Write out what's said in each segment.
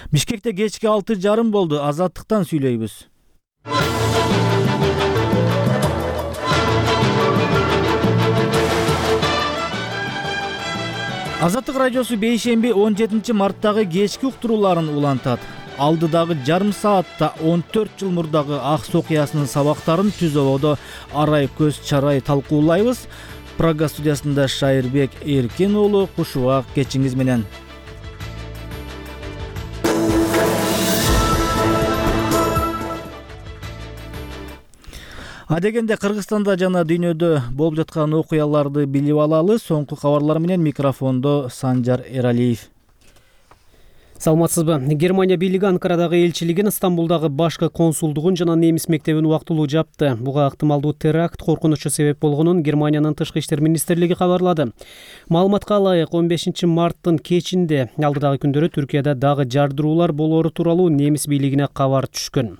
Бишкекте кечки 6:30 болду. Азаттыктан сүйлөйбүз. Азаттык радиосу бейшемби 17 марттагы кечки уктурууларын улантат. Алдыдагы жарым саатта 14 жыл мурдагы Аксы окуясынын сабактарын Түз ободо арай көз чарай талкуулайбыз. Прага студиясында Шайырбек Эркин уулу, кушубак кечиңиз менен. Адегенде Кыргызстанда жана дүйнөдө болуп жаткан окуяларды билип алалы. Соңку кабарлар менен микрофондо Санжар Эралиев. Саламатсызбы? Германия бийлиги Анкарадагы элчилигин, Стамбулдагы башкы консулдугун жана немис мектебин убактылуу жапты. Буга ыктымалдуу теракт коркунучу себеп болгонун Германиянын тышкы иштер министрлиги кабарлады. Маалыматка ылайык, 15 марттын кечинде алдыдагы күндөрү Түркияда дагы жардыруулар болоору тууралуу немис бийлигине кабар түшкөн.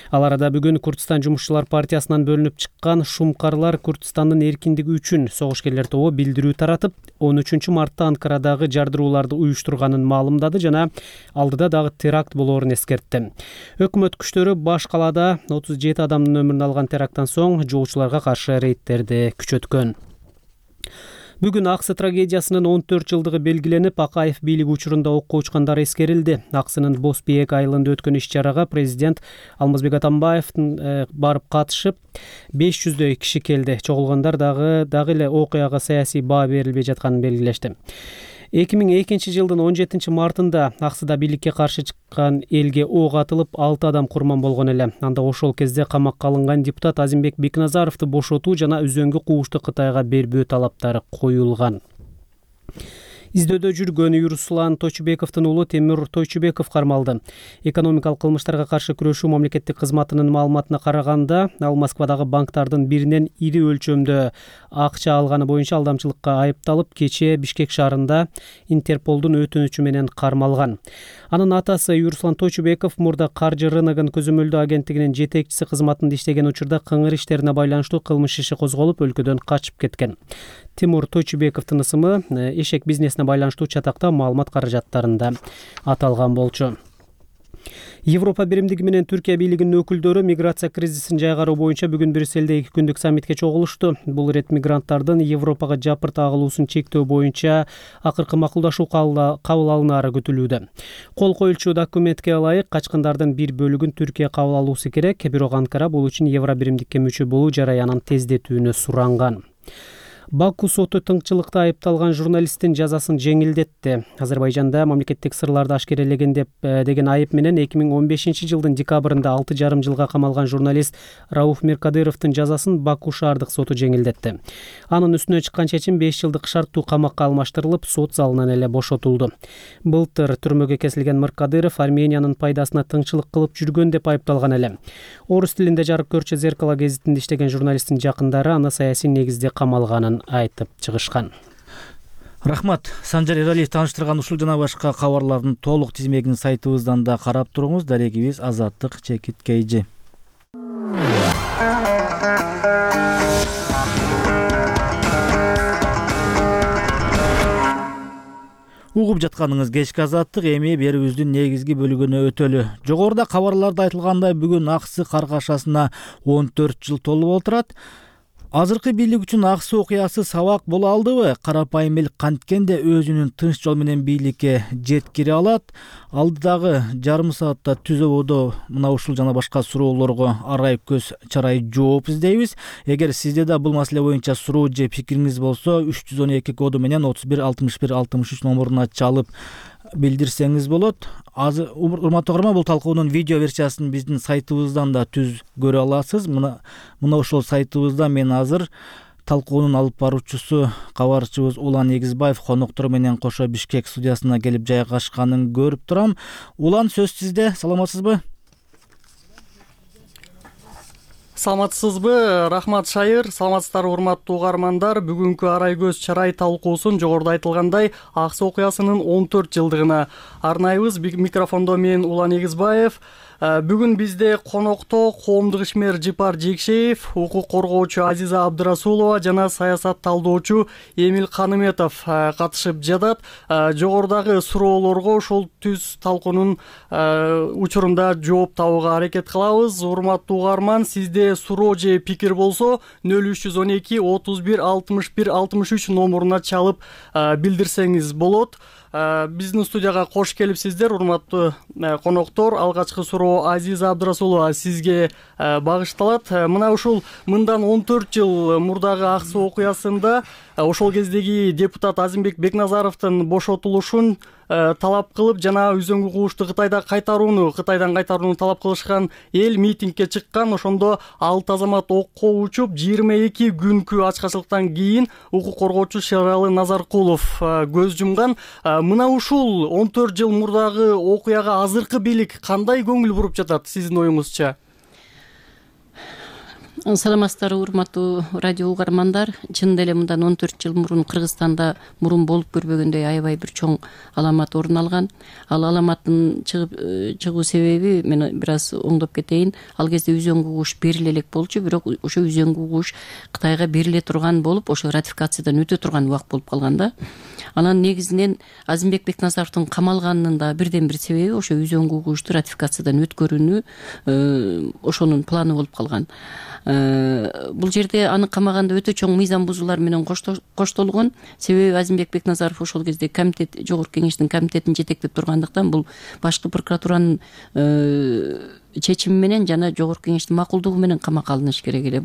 Ал арада бүгүн Курдистан жумушчулар партиясынан бөлүнүп чыккан шумкарлар Курдистандын эркиндиги үчүн согушкерлер тобу билдирүү таратып, 13 мартта Анкарадагы жардырууларды уюштурганын маалымдады жана алдыда дагы теракт болоорун эскертти. Өкмөт күчтөрү баш калаада 37 адамдын өмүрүн алган теракттан соң жоочуларга каршы рейдтерди күчөткөн. Бүгүн Аксы трагедиясынын 14 жылдыгы белгиленип, Акаев бийлиги учурунда окко учкандар эскерилди. Аксынын Босбиек айылында өткөн иш-чарага президент Алмазбек Атамбаев барып катышып, 500дөй киши келди. Чогулгандар дагы эле окуяга саясий баа берилбей жатканын белгилешти. 2002 жылдын 17 мартында Аксыда бийликке каршы чыккан элге ок атылып, 6 адам курман болгон эле. Анда ошол кезде камакка алынган депутат Азимбек Бекназаровду бошотуу жана үзөңгү куушту Кытайга бербөө талаптары коюлган. Издөөдө жүргөн Юруслан Тойчубековдун уулу Темир Тойчубеков кармалды. Экономикалык кылмыштарга каршы күрөшүү мамлекеттик кызматынын маалыматына караганда, ал Москвадагы банктардын биринен ири өлчөмдө акча алганы боюнча алдамчылыкка айыпталып, кечээ Бишкек шаарында Интерполдун өтүнүчү менен кармалган. Анын атасы Юруслан Тойчубеков мурда каржы рыногун көзөмөлдөө агенттигинин жетекчиси кызматында иштеген учурда кыңыр иштерине байланыштуу кылмыш иши козголуп, өлкөдөн качып кеткен. Тимур Тойчубековдун ысымы эшек бизнесине байланыштуу чатакта маалымат каражаттарында аталган болчу. Европа биримдиги менен Түркия бийлигинин өкүлдөрү миграция кризисин жайгаруу боюнча бүгүн Брюссельде 2 күндүк саммитке чогулушту. Бул ирет мигранттардын Европага жапырт агылуусун чектөө боюнча акыркы макулдашуу кабыл алынаары күтүлүүдө. Кол коюлчу документке ылайык, качкындардын бир бөлүгүн Түркия кабыл алуусу керек, бирок Анкара бул үчүн Евро биримдикке мүчө болуу жараянын тездетүүнү суранган. Баку соту тыңчылыкта айыпталган журналисттин жазасын жеңилдетти. Азербайжанда мамлекеттик сырларды ашкерелеген деген айып менен 2015 жылдын декабрында 6,5 жылга камалган журналист Рауф Меркадыровдун жазасын Баку шаардык соту жеңилдетти. Анын үстүнө чыккан чечим 5 жылдык шарттуу камакка алмаштырылып, сот залынан эле бошотулду. Былтыр түрмөгө кесилген Меркадыров Армениянын пайдасына тыңчылык кылып жүргөн деп айыпталган эле. Орус тилинде жарык көрчү Зеркало гезитинде иштеген журналисттин жакындары аны саясий негизде камалганын айтып чыгышкан. Рахмат. Санжар Эралиев тааныштырган ушул жана башка кабарлардын толук тизмегин сайтыбыздан да карап туруңуз. Дарегибиз Азаттык _KG. Угуп жатканыңыз кечки Азаттык, эми берүүбүздүн негизги бөлүгүнө өтөлү. Жогоруда кабарларда айтылгандай, бүгүн Аксы каргашасына 14 жыл толуп отурат. Азыркы бийлик үчүн Аксы окуясы сабак боло алдыбы? Карапайым эл канткенде өзүнүн тынч жол менен бийликке жеткире алат? Алдыдагы жарым саатта Түз ободо мына ушул жана башка суроолорго арай көз чарай жооп издейбиз. Эгер сизде да бул маселе боюнча суроо же пикириңиз болсо, 312 коду менен 31 61 63 номуруна чалып билдирсеңиз болот. Урматтуу угарман, бул талкуунун видео версиясын биздин сайтыбыздан да түз көрө аласыз. Мына ошол сайтыбызда мен азыр талкуунун алып баруучусу кабарчыбыз Улан Эгизбаев коноктор менен кошо Бишкек студиясына келип жайгашканын көрүп турам. Улан, сөз сизде. Саламатсызбы? Саламатсызбы? Рахмат, Шайыр. Саламатсыздар, урматтуу угармандар. Бүгүнкү арай көз чарай талкуусун жогоруда айтылгандай Аксы окуясынын 14 жылдыгына арнайбыз. Микрофондо мен Улан Эгизбаев. Бүгүн бизде конокто коомдук ишмер Жыпар Жекшеев, укук коргоочу Азиза Абдырасулова жана саясат талдоочу Эмил Каныметов катышып жатат. Жогорудагы суроолорго ошол түз талкуунун учурунда жооп табууга аракет кылабыз. Урматтуу угарман, сизде суроо же пикир болсо 0312 31 61 63 номуруна чалып билдирсеңиз болот. Биздин студияга кош келипсиздер, урматтуу коноктор. Алгачкы суроо Азиза Абдырасулова сизге багышталат. Мына ушул мындан 14 жыл мурдагы ак суу окуясында ошол кездеги депутат Азимбек Бекназаровдун бошотулушун талап кылып жана үзөңгү кугушту Кытайдан кайтарууну талап кылышкан эл митингге чыккан. Ошондо 6 азамат окко учуп, 22 күнкү ачкачылыктан кийин укук коргоочу Шералы Назаркулов көз жумган. Мына ушул 14 жыл мурдагы окуяга азыркы бийлик кандай көңүл буруп жатат сиздин оюңузча? Саламатсыздарбы, урматтуу радио угармандар. Чынында эле мындан 14 жыл мурун Кыргызстанда мурун болуп көрбөгөндөй аябай бир чоң аламат орун алган. Ал аламаттын чыгуу себеби мен бир аз оңдоп кетейин. Ал кезде үзөңгү кугуш бериле элек болчу, бирок ошо үзөңгү кугуш Кытайга бериле турган болуп, ошо ратификациядан өтө турган убакыт болуп калган да. Анан негизинен Азимбек Бекназаровдун камалганынын да бирден бир себеби ошо үзөңгү кугушту ратификациядан өткөрүүнү ошонун планы болуп калган. Бул жерде аны камаганда өтө чоң мыйзам бузуулар менен коштолгон. Себеби Азимбек Бекназаров ошол кезде комитет, жогорку кеңештин комитетин жетектеп тургандыктан бул башкы прокуратуранын чечими менен жана жогорку кеңештин макулдугу менен камакка алыныш керек эле.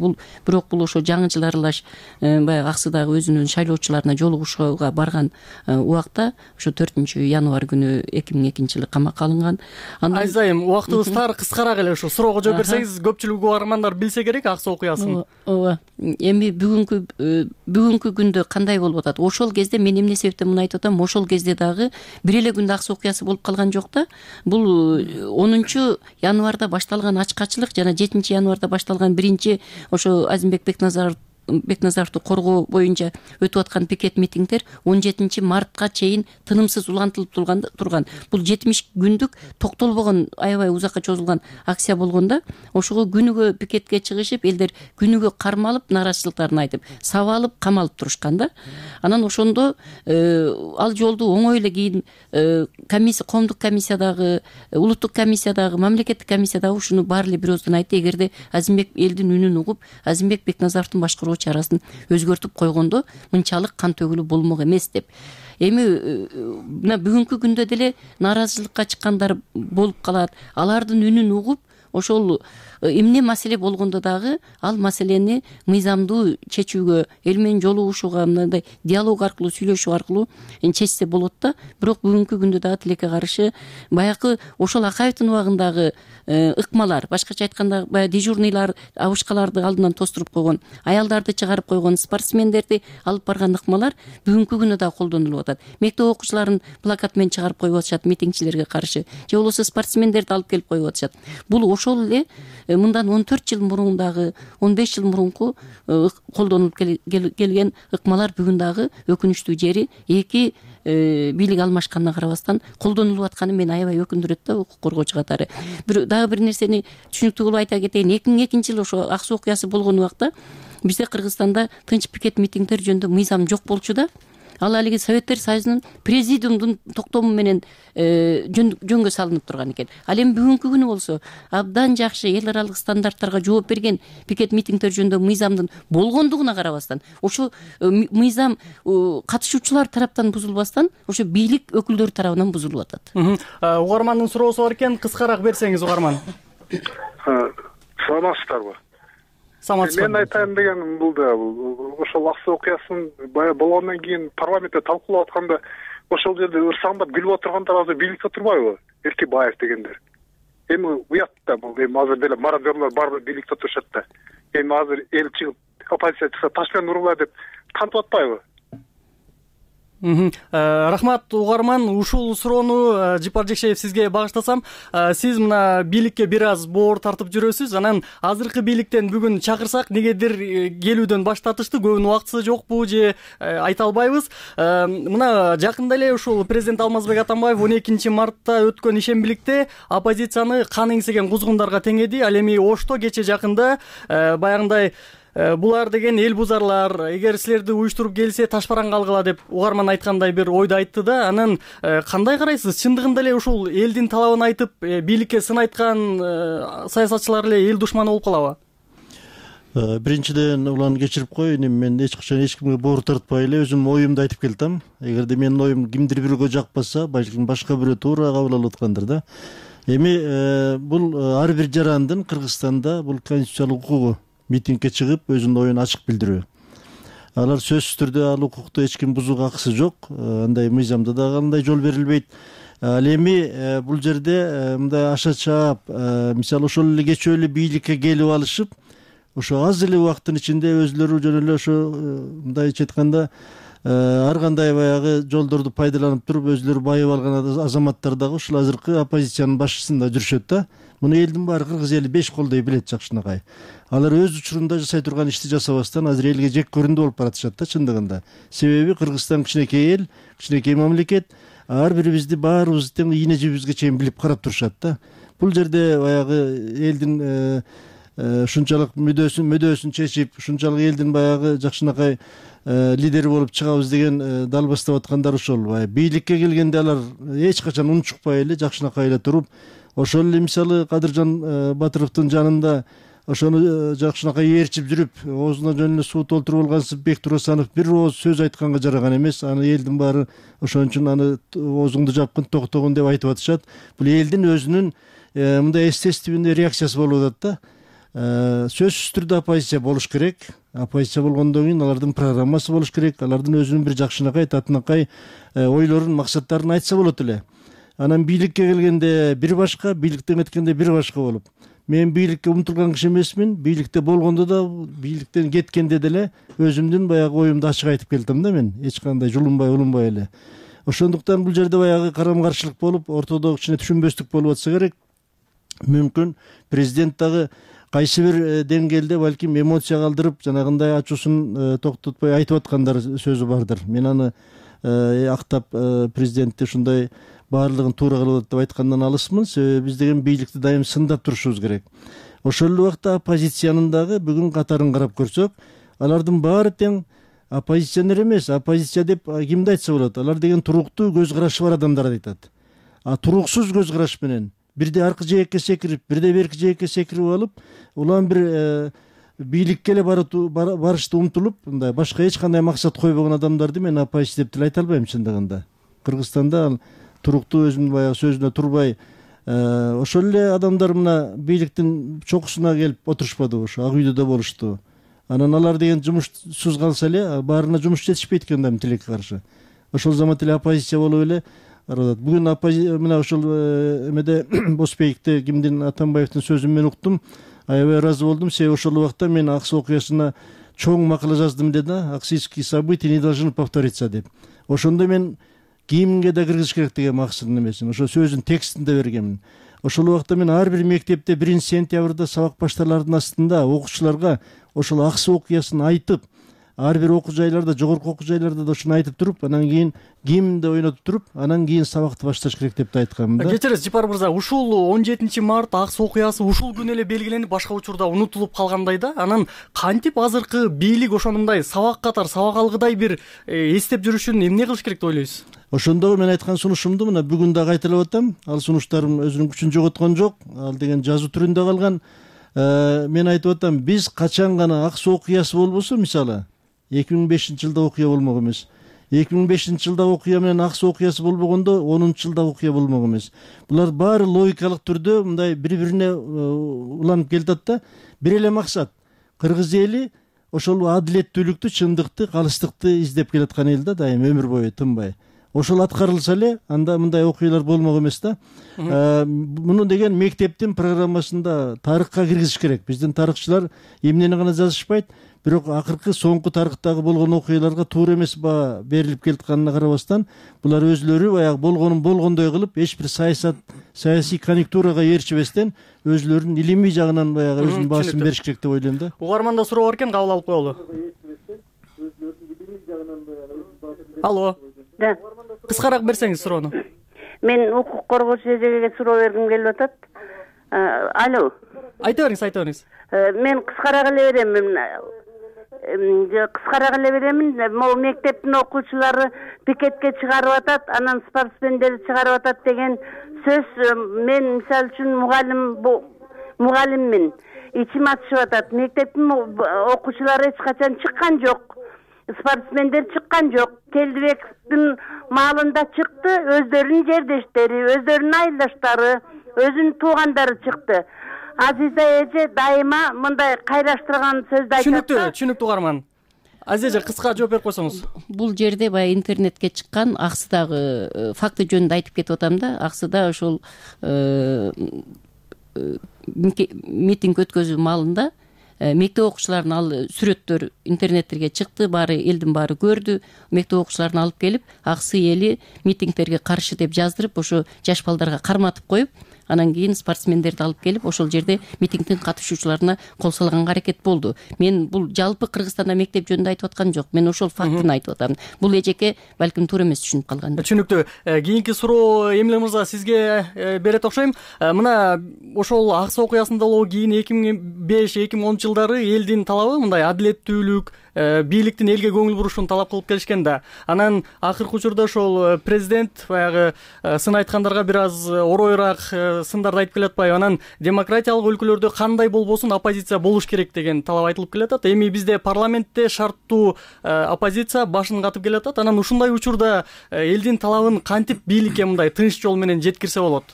Бирок бул ошо жаңы жыл аралаш баягы Аксыдагы өзүнүн шайлоочуларына жолугушууга барган убакта ошо 4-январь күнү 2002-жылы камакка алынган. Айзайым, убактыбыз тар, кыскараак эле ушу суроого жооп берсеңиз, көпчүлүк угармандар билсе керек ак суу окуясын. Ооба. Эми бүгүнкү күндө кандай болуп атат? Ошол кезде мен эмне себептен муну айтып атам? Ошол кезде дагы бир эле күндө ак суу окуясы болуп калган жок да. Бул 10-январда башталган ачкачылык жана 7-январда башталган биринчи ошо Азимбек Бекназаровду коргоо боюнча өтүп аткан пикет митингдер 17-мартка чейин тынымсыз улантылып турган. Бул 70 күндүк токтолбогон, аябай узакка чозулган акция болгондо, ошого күнүгө пикетке чыгышып, элдер күнүгө кармалып, нааразычылыктарын айтып, сабалып, камалып турушкан да. Анан ошондо ал жолду оңой эле кийин коомдук комиссиядагы, улуттук комиссиядагы, мамлекеттик комиссиядагы ушуну баары эле бир ооздон айтты. Эгерде Азимбек элдин үнүн угуп, Азимбек Бекназаровдун башкаруу чарасын өзгөртүп койгондо мынчалык кан төгүлүү болмок эмес деп. Эми мына бүгүнкү күндө деле нааразычылыкка чыккандар болуп калат. Алардын үнүн угуп, ошол эмне маселе болгондо дагы ал маселени мыйзамдуу чечүүгө, эл менен жолугушууга, мындай диалог аркылуу, сүйлөшүү аркылуу чечсе болот да. Бирок бүгүнкү күндө дагы тилекке каршы баягы ошол Акаевдин убагындагы ыкмалар, башкача айтканда баягы дежурныйлар абышкаларды алдынан тостуруп койгон, аялдарды чыгарып койгон, спортсмендерди алып барган ыкмалар бүгүнкү күндө дагы колдонулуп атат. Мектеп окуучуларын плакат менен чыгарып коюп атышат митингчилерге каршы, же болбосо спортсмендерди алып келип коюп атышат. Бул ошол эле мындан 14 жыл мурун дагы, 15 жыл мурунку колдонулуп келген ыкмалар бүгүн дагы өкүнүчтүү жери эки бийлик алмашканына карабастан колдонулуп атканы мени аябай өкүндүрөт да, укук коргоочу катары. Дагы бир нерсени түшүнүктүү кылып айта кетейин. 2002-жылы ошо ак суу окуясы болгон убакта бизде Кыргызстанда тынч пикет митингдер жөнүндө мыйзам жок болчу да. Ал алиги Советтер Союзунун президиумдун токтому менен жөнгө салынып турган экен. Ал эми бүгүнкү күнү болсо абдан жакшы эл аралык стандарттарга жооп берген пикет митингдер жөнүндө мыйзамдын болгондугуна карабастан, ошо мыйзам катышуучулар тараптан бузулбастан, ошо бийлик өкүлдөрү тарабынан бузулуп атат. Угармандын суроосу бар экен, кыскараак берсеңиз угарман. Саламатсыздарбы? Мен айтайын дегеним бул да, ошол ак суу окуясын баягы болгондон кийин парламентте талкуулап атканда ошол жерде ырсаңдап күлүп отургандар азыр бийликте турбайбы? Эркебаев дегендер. Эми уят да, бул эми азыр деле мародерлор барбыр бийликте турушат да. Эми азыр эл чыгып оппозиция чыкса таш менен ургула деп кантип атпайбы? Рахмат угарман, ушул суроону Жипар Жекшеев сизге багыштасам. Сиз мына бийликке бир аз боор тартып жүрөсүз, анан азыркы бийликтен бүгүн чакырсак негедир келүүдөн баш тартышты, көбүнүн убактысы жокпу же айта албайбыз. Мына жакында эле ушул президент Алмазбек Атамбаев 12 мартта өткөн ишембиликте оппозицияны кан эңсеген кузгундарга теңеди. Ал эми Ошто кече жакында баягындай булар деген эл бузарлар, эгер силерди уюштуруп келсе ташпаранга алгыла деп угарман айткандай бир ойду айтты да. Анан кандай карайсыз? Чындыгында эле ушул элдин талабын айтып бийликке сын айткан саясатчылар эле эл душманы болуп калабы? Биринчиден улан кечирип коеюн, мен эч качан эч кимге боор тартпай эле өзүм оюмду айтып келдим. Эгерде менин оюм кимдир бирөөгө жакпаса, балким башка бирөө туура кабыл алып аткандыр да. Эми бул ар бир жарандын Кыргызстанда бул конституциялык укугу митингге чыгып өзүнүн оюн ачык билдирүү. Алар сөзсүз түрдө ал укукту эч ким бузууга акысы жок. Андай мыйзамда да кандай жол берилбейт. Ал эми бул жерде мындай аша чаап, мисалы ошол эле кечээ эле бийликке келип алышып, ошо аз эле убакыттын ичинде өзүлөрү жөн эле ошо мындайча айтканда ар кандай баягы жолдорду пайдаланып туруп өзүлөрү байып алган азаматтар дагы ушул азыркы оппозициянын башчысында жүрүшөт да. Муну элдин баары кыргыз эли 5 колдой билет жакшынакай. Алар өз учурунда жасай турган ишти жасабастан азыр элге жек көрүндү болуп баратышат да чындыгында. Себеби Кыргызстан кичинекей эл, кичинекей мамлекет, ар бирибизди баарыбызды тең ийне жибибизге чейин билип карап турушат да. Бул жерде баягы элдин ушунчалык мүдөөсүн чечип, ушунчалык элдин баягы жакшынакай лидери болуп чыгабыз деген далбастап аткандар ошол. Бийликке келгенде алар эч качан унчукпай эле жакшынакай эле туруп, ошол эле мисалы Кадыржан Батыровдун жанында ошону жакшынакай ээрчип жүрүп, оозуна жөн эле суу толтуруп алгансып Бектур Асанов бир ооз сөз айтканга жараган эмес. Аны элдин баары ошон үчүн аны оозуңду жапкын, токтогун деп айтып атышат. Бул элдин өзүнүн мындай естественный реакциясы болуп атат да. Сөзсүз түрдө оппозиция болуш керек. Оппозиция болгондон кийин алардын программасы болуш керек. Алардын өзүнүн бир жакшынакай, татынакай ойлорун, максаттарын айтса болот эле. Анан бийликке келгенде бир башка, бийликтен кеткенде бир башка болуп. Мен бийликке умтулган киши эмесмин. Бийликте болгондо да, бийликтен кеткенде деле өзүмдүн баягы оюмду ачык айтып келдим да мен. Эч кандай жулунбай, улунбай эле. Ошондуктан бул жерде баягы карама-каршылык болуп, ортодо кичине түшүнбөстүк болуп атса керек. Мүмкүн президент дагы кайсы бир деңгээлде балким эмоция калтырып, жанагындай ачуусун токтотпой айтып аткандар сөзү бардыр. Мен аны актап президентти ушундай баардыгын туура кылып атат деп айткандан алысмын. Себеби биз деген бийликти дайым сындап турушубуз керек. Ошол эле убакта оппозициянын дагы бүгүн катарын карап көрсөк, алардын баары тең оппозиционер эмес. Оппозиция деп кимди айтса болот? Алар деген туруктуу көз карашы бар адамдарды айтат. Туруксуз көз караш менен бирде аркы жээкке секирип, бирде берки жээкке секирип алып, улам бир бийликке эле барышты умтулуп, мындай башка эч кандай максат койбогон адамдарды мен оппозиция деп деле айта албайм чындыгында. Кыргызстанда туруктуу өзүнүн баягы сөзүнө турбай, ошол эле адамдар мына бийликтин чокусуна келип отурушпадыбы, ошо Ак үйдө да болушту. Анан алар деген жумушсуз калса эле баарына жумуш жетишпейт экен да тилекке каршы. Ошол замат эле оппозиция болуп эле бүгүн мына ошол эмеде Босбековде кимдин Атамбаевдин сөзүн мен уктум. Аябай ыраазы болдум. Себеби ошол убакта мен Аксы окуясына чоң макала жаздым деди. Аксийские события не должны повториться деп. Ошондо мен кийимге да киргизиш керек деген максатым эмесин. Ошо сөздүн текстин да бергенмин. Ошол убакта мен ар бир мектепте 1-сентябрда сабак башталардын астында окуучуларга ошол Аксы окуясын айтып, ар бир окуу жайларда, жогорку окуу жайларда да ошону айтып туруп, анан кийин кийимди ойнотуп туруп, анан кийин сабакты башташ керек деп да айтканмын да. Кечиресиз Жипар мырза, ушул 17 март Аксы окуясы ушул күнү эле белгиленип, башка учурда унутулуп калгандай да. Анан кантип азыркы бийлик ошондой сабак катар, сабак алгыдай бир эстеп жүрүшүн эмне кылыш керек деп ойлойсуз? Ошондогу мен айткан сунушумду мына бүгүн дагы кайталап атам. Ал сунуштарым өзүнүн күчүн жоготкон жок. Ал деген жазуу түрүндө калган. Мен айтып атам, биз качан гана Аксы окуясы болбосо, мисалы 2005-жылда окуя болмок эмес. 2005-жылда окуя менен Аксы окуясы болбогондо 10-жылда окуя болмок эмес. Булар баары логикалык түрдө мындай бири-бирине уланып келатат да. Бир эле максат. Кыргыз эли ошол адилеттүүлүктү, чындыкты, калыстыкты издеп келаткан эл да, дайым өмүр бою тынбай. ошол аткарылса эле анда мындай окуялар болмок эмес да. Муну деген мектептин программасында тарыхка киргизиш керек. Биздин тарыхчылар эмнени гана жазышпайт, бирок акыркы соңку тарыхтагы болгон окуяларга туура эмес баа берилип келатканына карабастан, булар өзлөрү баягы болгонун болгондой кылып, эч бир саясий конъюнктурага ээрчибестен өзлөрүнүн илимий жагынан баягы өзүнүн баасын бериш керек деп ойлойм да. Угарманда суроо бар экен, кабыл алып коелу. Алло. Да. Кыскараак берсеңиз суроону. Мен укук коргоочу эжеге суроо бергим келип атат. Алло. Айта бериңиз. Мен кыскараак эле беремин. Могу мектептин окуучулары пикетке чыгарып атат, анан спортсмендерди чыгарып атат деген сөз. Мен мисалы үчүн мугалиммин. Ичим ачышып атат. Мектептин окуучулары эч качан чыккан жок. Спортсмендер чыккан жок. Келдибектин маалында чыкты, өздөрүнүн жердештери, өздөрүнүн айылдаштары, өзүнүн туугандары чыкты. Азиза эже дайыма мындай кайраштырган сөздү айтат. Түшүнүктүү угарман. Азиза эже кыска жооп берип койсоңуз. Бул жерде баягы интернетке чыккан Аксыдагы факты жөнүндө айтып кетип атам да. Аксыда ошол митинг өткөзүү маалында мектеп окуучуларынын ал сүрөттөр интернеттерге чыкты, элдин баары көрдү. Мектеп окуучуларын алып келип, Аксы эли митингтерге каршы деп жаздырып, ошо жаш балдарга карматып коюп, анан кийин спортсмендерди алып келип, ошол жерде митингдин катышуучуларына кол салганга аракет болду. Мен бул жалпы Кыргызстанда мектеп жөнүндө айтып аткан жок. Мен ошол фактыны айтып атам. Бул эжеке балким туура эмес түшүнүп калган. Түшүнүктүү. Кийинки суроо Эмиле мырза сизге берет окшойм. Мына ошол Аксы окуясынан кийин 2005-2010 жылдары элдин талабы мындай адилеттүүлүк, бийликтин элге көңүл бурушун талап кылып келишкен да. Анан акыркы учурда ошол президент баягы сын айткандарга бир аз оройраак сындарды айтып келатпайбы? Анан демократиялык өлкөлөрдө кандай болбосун оппозиция болуш керек деген талап айтылып келатат. Эми бизде парламентте шарттуу оппозиция башын катып келатат. Анан ушундай учурда элдин талабын кантип бийликке мындай тынч жол менен жеткирсе болот?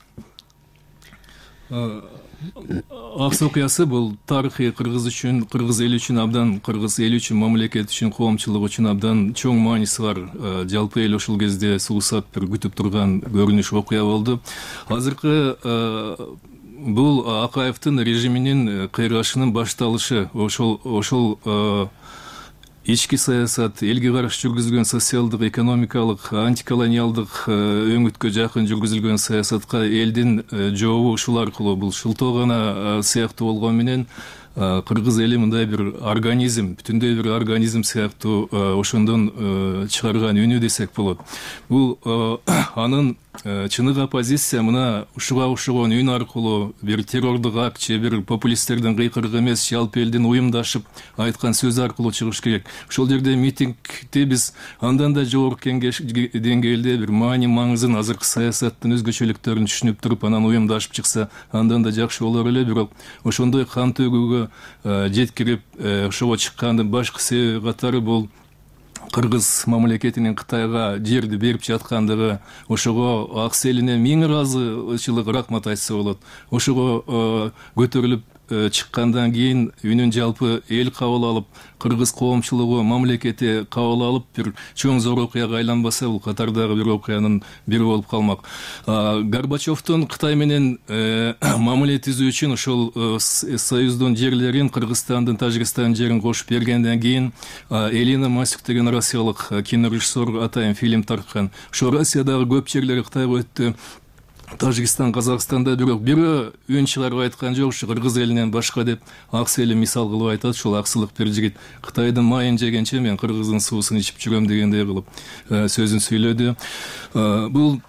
Аксы окуясы бул тарыхый кыргыз үчүн, кыргыз эли үчүн абдан, кыргыз эли үчүн, мамлекет үчүн, коомчулук үчүн абдан чоң мааниси бар. Жалпы эл ошол кезде суусап бир күтүп турган көрүнүш окуя болду. Азыркы бул Акаевдин режиминин кыйрашынын башталышы. Ошол ички саясат, элге каршы жүргүзүлгөн социалдык, экономикалык, антиколониалдык өңүткө жакын жүргүзүлгөн саясатка элдин жообу ушул аркылуу, бул шылтоо гана сыяктуу болгону менен кыргыз эли мындай бир организм, бүтүндөй бир организм сыяктуу ошондон чыгарган үнү десек болот. Бул анын чыныгы оппозиция мына ушуга окшогон үн аркылуу бир террордук акт же бир популисттердин кыйкырыгы эмес, жалпы элдин уюмдашып айткан сөзү аркылуу чыгыш керек. Ошол жерде митингди биз андан да жогорку деңгээлде бир маани маңызын, азыркы саясаттын өзгөчөлүктөрүн түшүнүп туруп, анан уюмдашып чыкса, андан да жакшы болор эле. Бирок ошондой кан төгүүгө жеткирип, ошого чыккандын башкы себеби катары бул кыргыз мамлекетинин Кытайга жерди берип жаткандыгы, ошого Аксы элине миң ыраазычылык рахмат айтса болот. Ошого көтөрүлүп чыккандан кийин үнүн жалпы эл кабыл алып, кыргыз коомчулугу, мамлекети кабыл алып, бир чоң зор окуяга айланбаса, бул катардагы бир окуянын бири болуп калмак. Горбачевдун Кытай менен мамиле түзүү үчүн ошол союздун жерлерин, Кыргызстандын, Тажикстандын жерин кошуп бергенден кийин Элина Масюк деген россиялык кинорежиссер атайын фильм тарткан. Ошо Россиядагы көп жерлери Кытайга өттү. Тажикстан, Казакстанда бирок бирөө үн чыгарып айткан жок, ушу кыргыз элинен башка деп. Аксы эли мисал кылып айтат, ушул аксылык бир жигит Кытайдын майын жегенче мен кыргыздын суусун ичип жүрөм дегендей кылып сөзүн сүйлөдү. Бул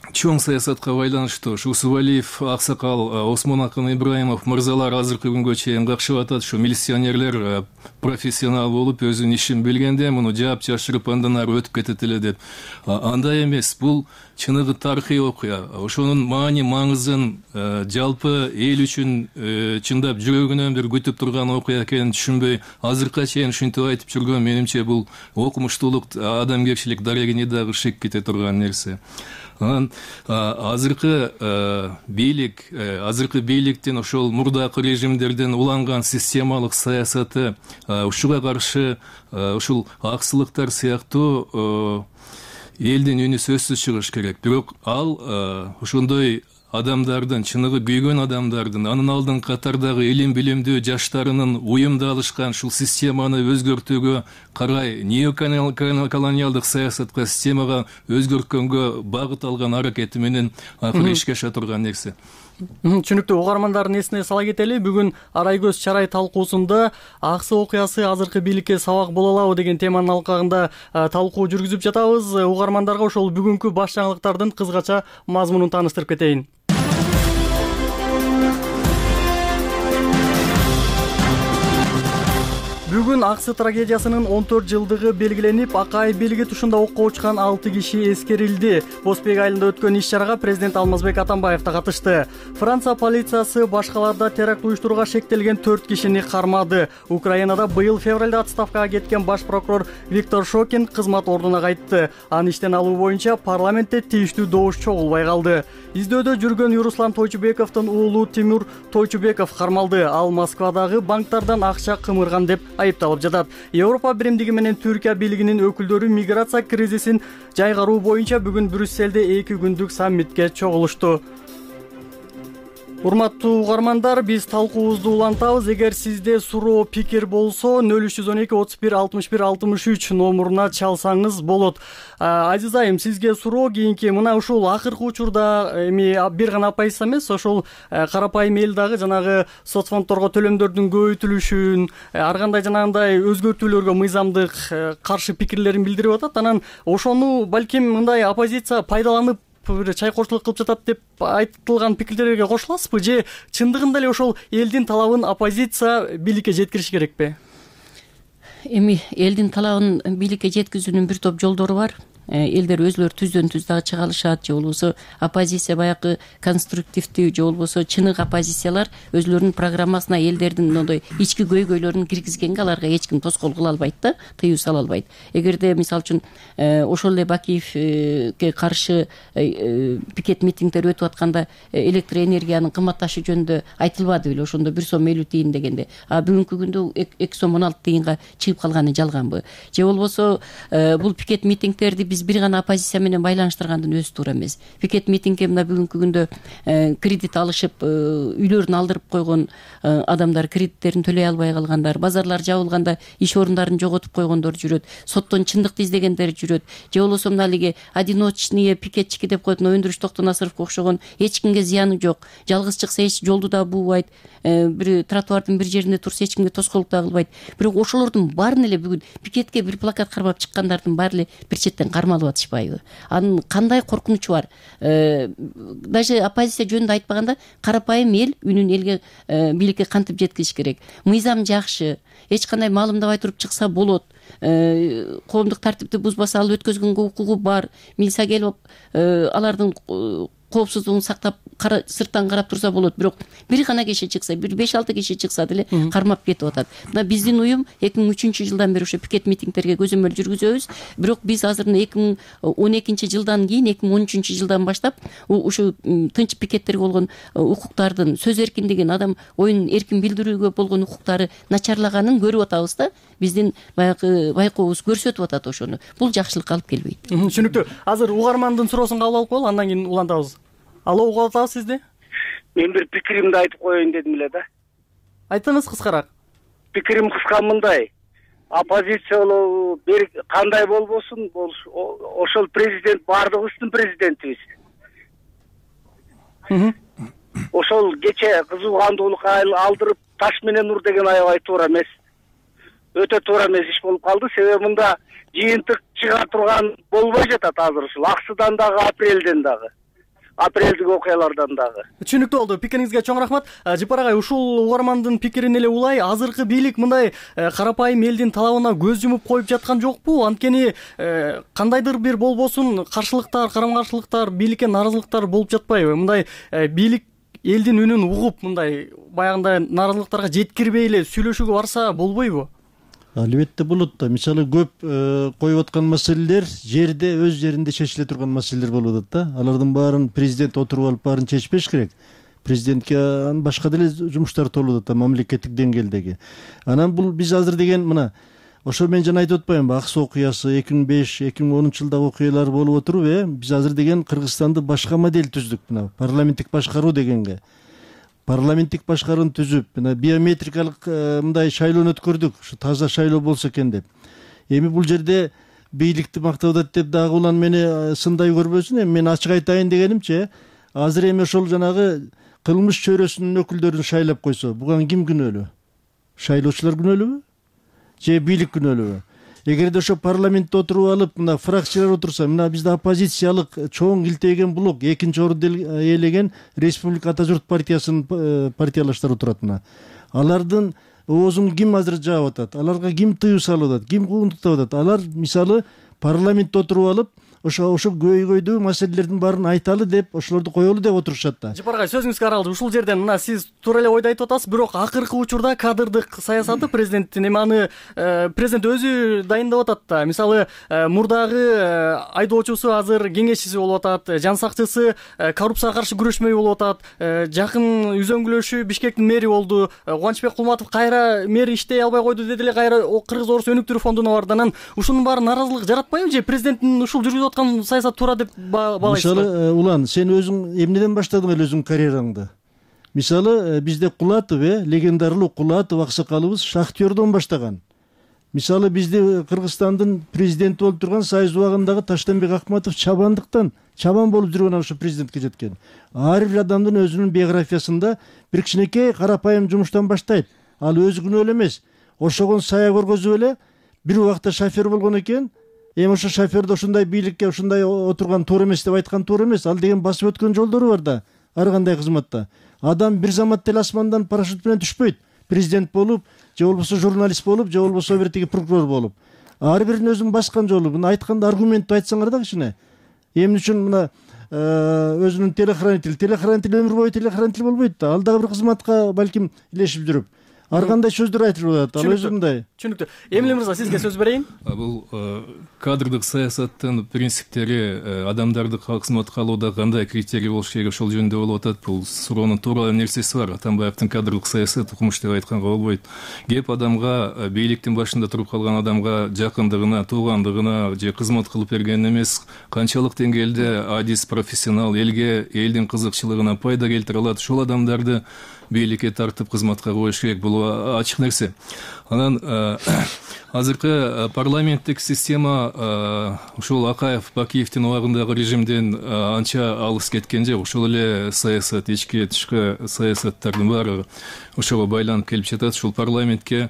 чоң саясатка байланыштуу. Ушу Усубалиев, Аксакал, Осмон Акын Ибраимов мырзалар азыркы күнгө чейин какшып атат. Ушу милиционерлер профессионал болуп, өзүнүн ишин билгенде муну жаап жашырып андан ары өтүп кетет эле деп. Андай эмес. Бул чыныгы тарыхый окуя. Ошонун маани маңызын жалпы эл үчүн чындап жүрөгүнөн бир күтүп турган окуя экенин түшүнбөй, азыркыга чейин ушинтип айтып жүргөн, менимче бул окумуштуулук, адамгерчилик дарегине дагы шек кете турган нерсе. Анан азыркы бийликтин ошол мурдакы режимдерден уланган системалык саясаты, ушуга каршы ушул аксылыктар сыяктуу элдин үнү сөзсүз чыгыш керек. Бирок ал ошондой адамдардын, чыныгы күйгөн адамдардын, анын алдын катардагы илим билимдүү жаштарынын уюмдалышкан ушул системаны өзгөртүүгө карай неоколониалдык саясатка, системага өзгөрткөнгө багыт алган аракети менен акыры ишке аша турган нерсе. Түшүнүктүү. Угармандардын эсине сала кетели, бүгүн Арай көз чарай талкуусунда аксы окуясы азыркы бийликке сабак боло алабы деген теманын алкагында талкуу жүргүзүп жатабыз. Угармандарга ошол бүгүнкү баш жаңылыктардын кыскача мазмунун тааныштырып кетейин. Бүгүн Аксы трагедиясынын 14 жылдыгы белгиленип, Акай белги тушунда окко учкан 6 киши эскерилди. Бозбек айылында өткөн иш-чарага президент Алмазбек Атамбаев да катышты. Франция полициясы башкаларда теракт уюштурууга шектелген 4 кишини кармады. Украинада быйыл февралда отставкага кеткен баш прокурор Виктор Шокин кызмат ордуна кайтты. Аны иштен алуу боюнча парламентте тийиштүү добуш чогулбай калды. Издөөдө жүргөн Юруслан Тойчубековдун уулу Тимур Тойчубеков кармалды. Ал Москвадагы банктардан акча кымырган деп айыпталып жатат. Европа биримдиги менен Түркия бийлигинин өкүлдөрү миграция кризисин жайгаруу боюнча бүгүн Брюсселде 2 күндүк саммитке чогулушту. Урматтуу угармандар, биз талкуубузду улантабыз. Эгер сизде суроо, пикир болсо 0312 31 61 63 номуруна чалсаңыз болот. Азиз айым, сизге суроо кийинки мына ушул акыркы учурда эми бир гана оппозиция эмес, ошол карапайым эл дагы жанагы соцфонддорго төлөмдөрдүн көбөйтүлүшүн, ар кандай жанагындай өзгөртүүлөргө мыйзамдык каршы пикирлерин билдирип атат. Анан ошону балким мындай оппозиция пайдаланып бир чайкоочулук кылып жатат деп айтылган пикирлерге кошуласызбы, же чындыгында эле ошол элдин талабын оппозиция бийликке жеткириш керекпи? Эми элдин талабын бийликке жеткизүүнүн бир топ жолдору бар. Элдер өзүлөрү түздөн түз дагы чыга алышат, же болбосо оппозиция баягы конструктивдүү, же болбосо чыныгы оппозициялар өзүлөрүнүн программасына элдердин мындай ички көйгөйлөрүн киргизгенге аларга эч ким тоскоол кыла албайт да, тыюу сала албайт. Эгерде мисалы үчүн ошол эле Бакиевке каршы пикет митингдер өтүп атканда электр энергиянын кымбатташы жөнүндө айтылбады беле, ошондо 1 сом 50 тиын дегенде, бүгүнкү күндө 2 сом 16 тиынга чыгып калганы жалганбы? Же болбосо бул пикет митингдерди биз бир гана оппозиция менен байланыштыргандын өзү туура эмес. Пикет митингге мына бүгүнкү күндө кредит алышып, үйлөрүн алдырып койгон адамдар, кредиттерин төлөй албай калгандар, базарлар жабылганда иш орундарын жоготуп койгондор жүрөт, соттон чындыкты издегендер жүрөт. Же болбосо мына алиги одиночный пикетчики деп коет, Өндүрүш Токтонасыровго окшогон, эч кимге зыяны жок, жалгыз чыкса эч жолду да буубайт, бир тротуардын бир жеринде турса эч кимге тоскоолдук да кылбайт. Бирок ошолордун баарын эле бүгүн пикетке бир плакат кармап чыккандардын баары эле бир четтен кармалып атышпайбы? Анын кандай коркунучу бар? Даже оппозиция жөнүндө айтпаганда, карапайым эл үнүн элге, бийликке кантип жеткизиш керек? Мыйзам жакшы, эч кандай маалымдабай туруп чыкса болот. Коомдук тартипти бузбаса ал өткөзгөнгө укугу бар. Милиция келип алардын коопсуздугун сактап сырттан карап турса болот. Бирок бир гана киши чыкса, бир 5-6 киши чыкса деле кармап кетип атат. Мына биздин уюм 2003-жылдан бери ошо пикет митингдерге көзөмөл жүргүзөбүз. Бирок биз азыр 2012-жылдан кийин 2013-жылдан баштап ушу тынч пикеттерге болгон укуктардын, сөз эркиндигин, адам оюн эркин билдирүүгө болгон укуктары начарлаганын көрүп атабыз да. Биздин баягы байкообуз көрсөтүп атат ошону. Бул жакшылыкка алып келбейт. Түшүнүктүү. Азыр угармандын суроосун кабыл алып коелу, андан кийин улантабыз. Алло, угуп атабыз сизди? Мен бир пикиримди айтып коеюн дедим эле да. Айтыңыз кыскараак. Пикирим кыска мындай. Оппозиция бир кандай болбосун, ошол президент баардыгыбыздын президентибиз. Ошол кече кызуу кандуулукка алдырып таш менен ур деген аябай туура эмес. Өтө туура эмес иш болуп калды. Себеби мында жыйынтык чыга турган болбой жатат азыр ушул Аксыдан дагы, апрелдик окуялардан дагы. Түшүнүктүү болду. Пикириңизге чоң рахмат. Жыпар агай, ушул угармандын пикирин эле улай, азыркы бийлик мындай карапайым элдин талабына көз жумуп коюп жаткан жокпу? Анткени кандайдыр бир болбосун каршылыктар, карама-каршылыктар, бийликке нааразылыктар болуп жатпайбы? Мындай бийлик элдин үнүн угуп, мындай баягындай нааразылыктарга жеткирбей эле сүйлөшүүгө барса болбойбу? Албетте болот да. Мисалы көп коюп аткан маселелер жерде, өз жеринде чечиле турган маселелер болуп атат да. Алардын баарын президент отуруп алып баарын чечпеш керек. Президентке башка деле жумуштар толуп атат, мамлекеттик деңгээлдеги. Анан бул биз азыр деген мына ошо мен жана айтып атпаймынбы, ак суу окуясы 2005-2010 жылдагы окуялар болуп отуруп, биз азыр деген Кыргызстанды башка модель түздүк. Мына парламенттик башкаруу дегенге. Парламенттик башкарууну түзүп, мына биометрикалык мындай шайлоону өткөрдүк, ушу таза шайлоо болсо экен деп. Эми бул жерде бийликти мактап атат деп дагы улан мени сындай көрбөсүн. Эми мен ачык айтайын дегенимче, азыр эми ошол жанагы кылмыш чөйрөсүнүн өкүлдөрүн шайлап койсо, буга ким күнөөлүү? Шайлоочулар күнөөлүүбү? Же бийлик күнөөлүүбү? Эгерде ошо парламентте отуруп алып, мына фракциялар отурса, мына бизде оппозициялык чоң илтейген блок, экинчи орунду ээлеген Республика Ата журт партиясынын партиялаштары отурат. Мына алардын оозун ким азыр жаап атат? Аларга ким тыюу салып атат? Ким куугунтуктап атат? Алар мисалы парламентте отуруп алып, ошо көйгөйдүү маселелердин баарын айталы деп, ошолорду коелу деп отурушат да. Жапар агай, сөзүңүз каралды. Ушул жерден мына сиз туура эле ойду айтып атасыз, бирок акыркы учурда кадрдык саясаты президенттин, эми аны президент өзү дайындап атат да. Мисалы, мурдагы айдоочусу азыр кеңешчиси болуп атат, жан сакчысы коррупцияга каршы күрөшмөй болуп атат. Жакын үзөңгүлөшү Бишкектин мэри болду. Кубанычбек Кулматов кайра мэр иштей албай койду деди эле, кайра Кыргыз Орус өнүктүрүү фондуна барды. Анан ушунун баары нааразылык жаратпайбы же президенттин ушул жүргүзүп аткан саясат туура деп баалайсызбы? Мисалы, Улан, сен өзүң эмнеден баштадың эле өзүң карьераңды? Мисалы, бизде Кулатов, легендарылуу Кулатов аксакалыбыз шахтердон баштаган. Мисалы, бизде Кыргызстандын президенти болуп турган Союз убагындагы Таштанбек Акматов чабан болуп жүргөн ошо президентке жеткен. Ар бир адамдын өзүнүн биографиясында бир кичинекей карапайым жумуштан баштайт. Ал өзү күнөө эмес. Ошогон сая көргөзүп эле бир убакта шофер болгон экен. Эми ошо шоферди ушундай бийликке ушундай отурган туура эмес деп айткан туура эмес. Ал деген басып өткөн жолдору бар да, ар кандай кызматта. Адам бир замат эле асмандан парашют менен түшпөйт. Президент болуп, же болбосо журналист болуп, же болбосо бир тиги прокурор болуп. Ар биринин өзүнүн баскан жолу. Мына айтканда аргументти айтсаңар да кичине. Эмне үчүн мына өзүнүн телохранитель өмүр бою телохранитель болбойт да. Ал дагы бир кызматка балким илешип жүрүп. Ар кандай сөздөр айтылып атат. Ал өзү мындай. Түшүнүктүү. Эмиле мырза, сизге сөз берейин. Бул кадрдык саясаттын принциптери, адамдарды кызматка алууда кандай критерий болуш керек, ошол жөнүндө болуп атат. Бул суроонун туура нерсеси бар. Атамбаевдин кадрдык саясат укмуш деп айтканга болбойт. Кеп адамга, бийликтин башында туруп калган адамга жакындыгына, туугандыгына же кызмат кылып берген эмес, канчалык деңгээлде адис, профессионал, элге, элдин кызыкчылыгына пайда келтире алат, ошол адамдарды бийликке тартып кызматка коюш керек. Бул ачык нерсе. Анан азыркы парламенттик система ушул Акаев, Бакиевдин убагындагы режимден анча алыс кеткен жок. Ошол эле саясат, ички тышкы саясаттардын баары ошого байланып келип жатат. Ушул парламентке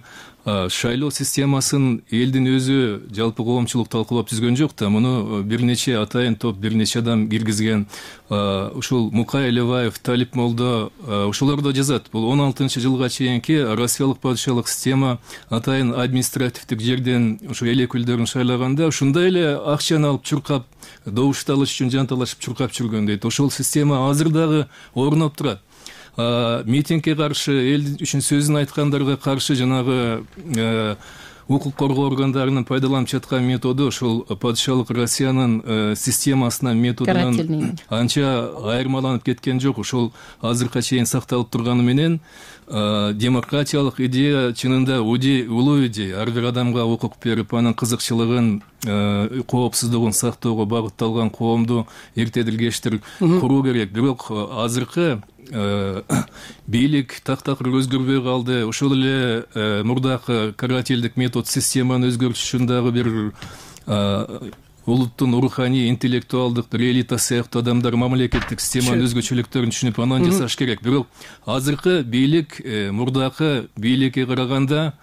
шайлоо системасын элдин өзү жалпы коомчулук талкуулап түзгөн жок да. Муну бир нече атайын топ, бир нече адам киргизген. Ушул Мукай Элебаев, Талип Молдо ошолор да жазат. Бул 16-жылга чейинки Россиялык падышалык система атайын административдик жерден ушу эл өкүлдөрүн шайлаганда ушундай эле акчаны алып чуркап, добушту алыш үчүн жанталашып чуркап жүргөн дейт. Ошол система азыр дагы орноп турат. Митингге каршы, эл үчүн сөзүн айткандарга каршы жанагы укук коргоо органдарынын пайдаланып жаткан методу ошол падышалык Россиянын системасынан, методунан анча айырмаланып кеткен жок. Ошол азыркыга чейин сакталып турганы менен демократиялык идея чынында улуу идея. Ар бир адамга укук берип, анын кызыкчылыгын, коопсуздугун сактоого багытталган коомду эртедилгештир куруу керек. Бирок азыркы бийлик так-такыр өзгөрбөй калды. Ошол эле мурдакы карательдик метод системаны өзгөртүш үчүн дагы бир улуттун руханий, интеллектуалдык бир элита сыяктуу адамдар мамлекеттик системанын өзгөчөлүктөрүн түшүнүп анан жасаш керек. Бирок азыркы бийлик мурдакы бийликке караганда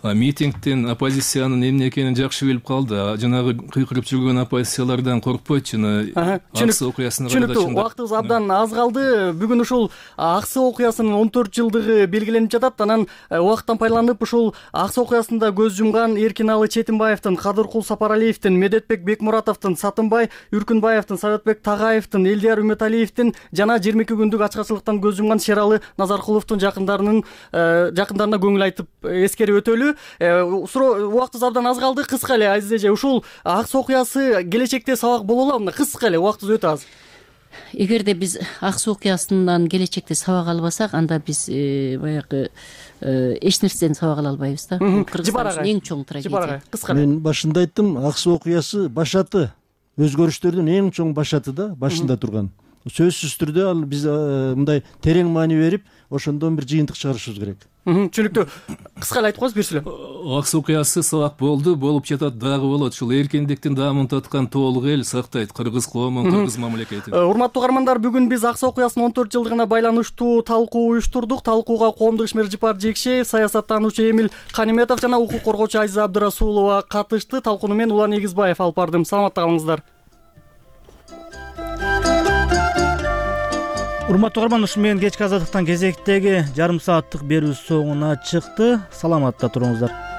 митингден оппозициянын эмне экенин жакшы билип калды. Жанагы кыйкырып жүргөн оппозициялардан коркпойт. Аксы окуясына караганда түшүнүктүү. Убактыбыз абдан аз калды. Бүгүн ушул Аксы окуясынын 14 жылдыгы белгиленип жатат. Анан убакыттан пайдаланып ушул Аксы окуясында көз жумган Эркиналы Четинбаевдин, Кадыркул Сапаралиевдин, Медетбек Бекмуратовдун, Сатынбай Үркүнбаевдин, Советбек Тагаевдин, Элдияр Үмөталиевдин жана 22 күндүк ачкачылыктан көз жумган Шералы Назаркуловдун жакындарына көңүл айтып эскерип өтөлү. Убактыбыз абдан аз калды. Кыска эле Азиз эже, ушул Аксы окуясы келечекте сабак боло алабы? Кыска эле, убактыбыз өтө аз. эгерде биз ак суу окуясынан келечекте сабак албасак, анда биз баягы эч нерседен сабак ала албайбыз да. Жибар агай, эң чоң трагедия. Жибар агай, кыскара. Мен башында айттым, ак суу окуясы башаты, өзгөрүштөрдүн эң чоң башаты да, башында турган. Сөзсүз түрдө ал биз мындай терең маани берип, ошондон бир жыйынтык чыгарышыбыз керек. Түшүнүктүү. Кыска эле айтып коюңуз, бир сүйлөп. ак суу окуясы сабак болду, болуп жатат, дагы болот. Ушул эркиндиктин даамын таткан тоолук эл сактайт кыргыз коомун, кыргыз мамлекетин. Урматтуу угармандар, бүгүн биз ак суу окуясынын 14 жылдыгына байланыштуу талкуу уюштурдук. Талкууга коомдук ишмер Жипар Жекшеев, саясаттануучу Эмил Каниметов жана укук коргоочу Азиза Абдрасулова катышты. Талкууну мен Улан Эгизбаев алып бардым. Саламатта калыңыздар. Урматтуу угарман, ушу менен кечки азаттыктан кезектеги жарым сааттык берүү соңуна чыкты. Саламатта туруңуздар.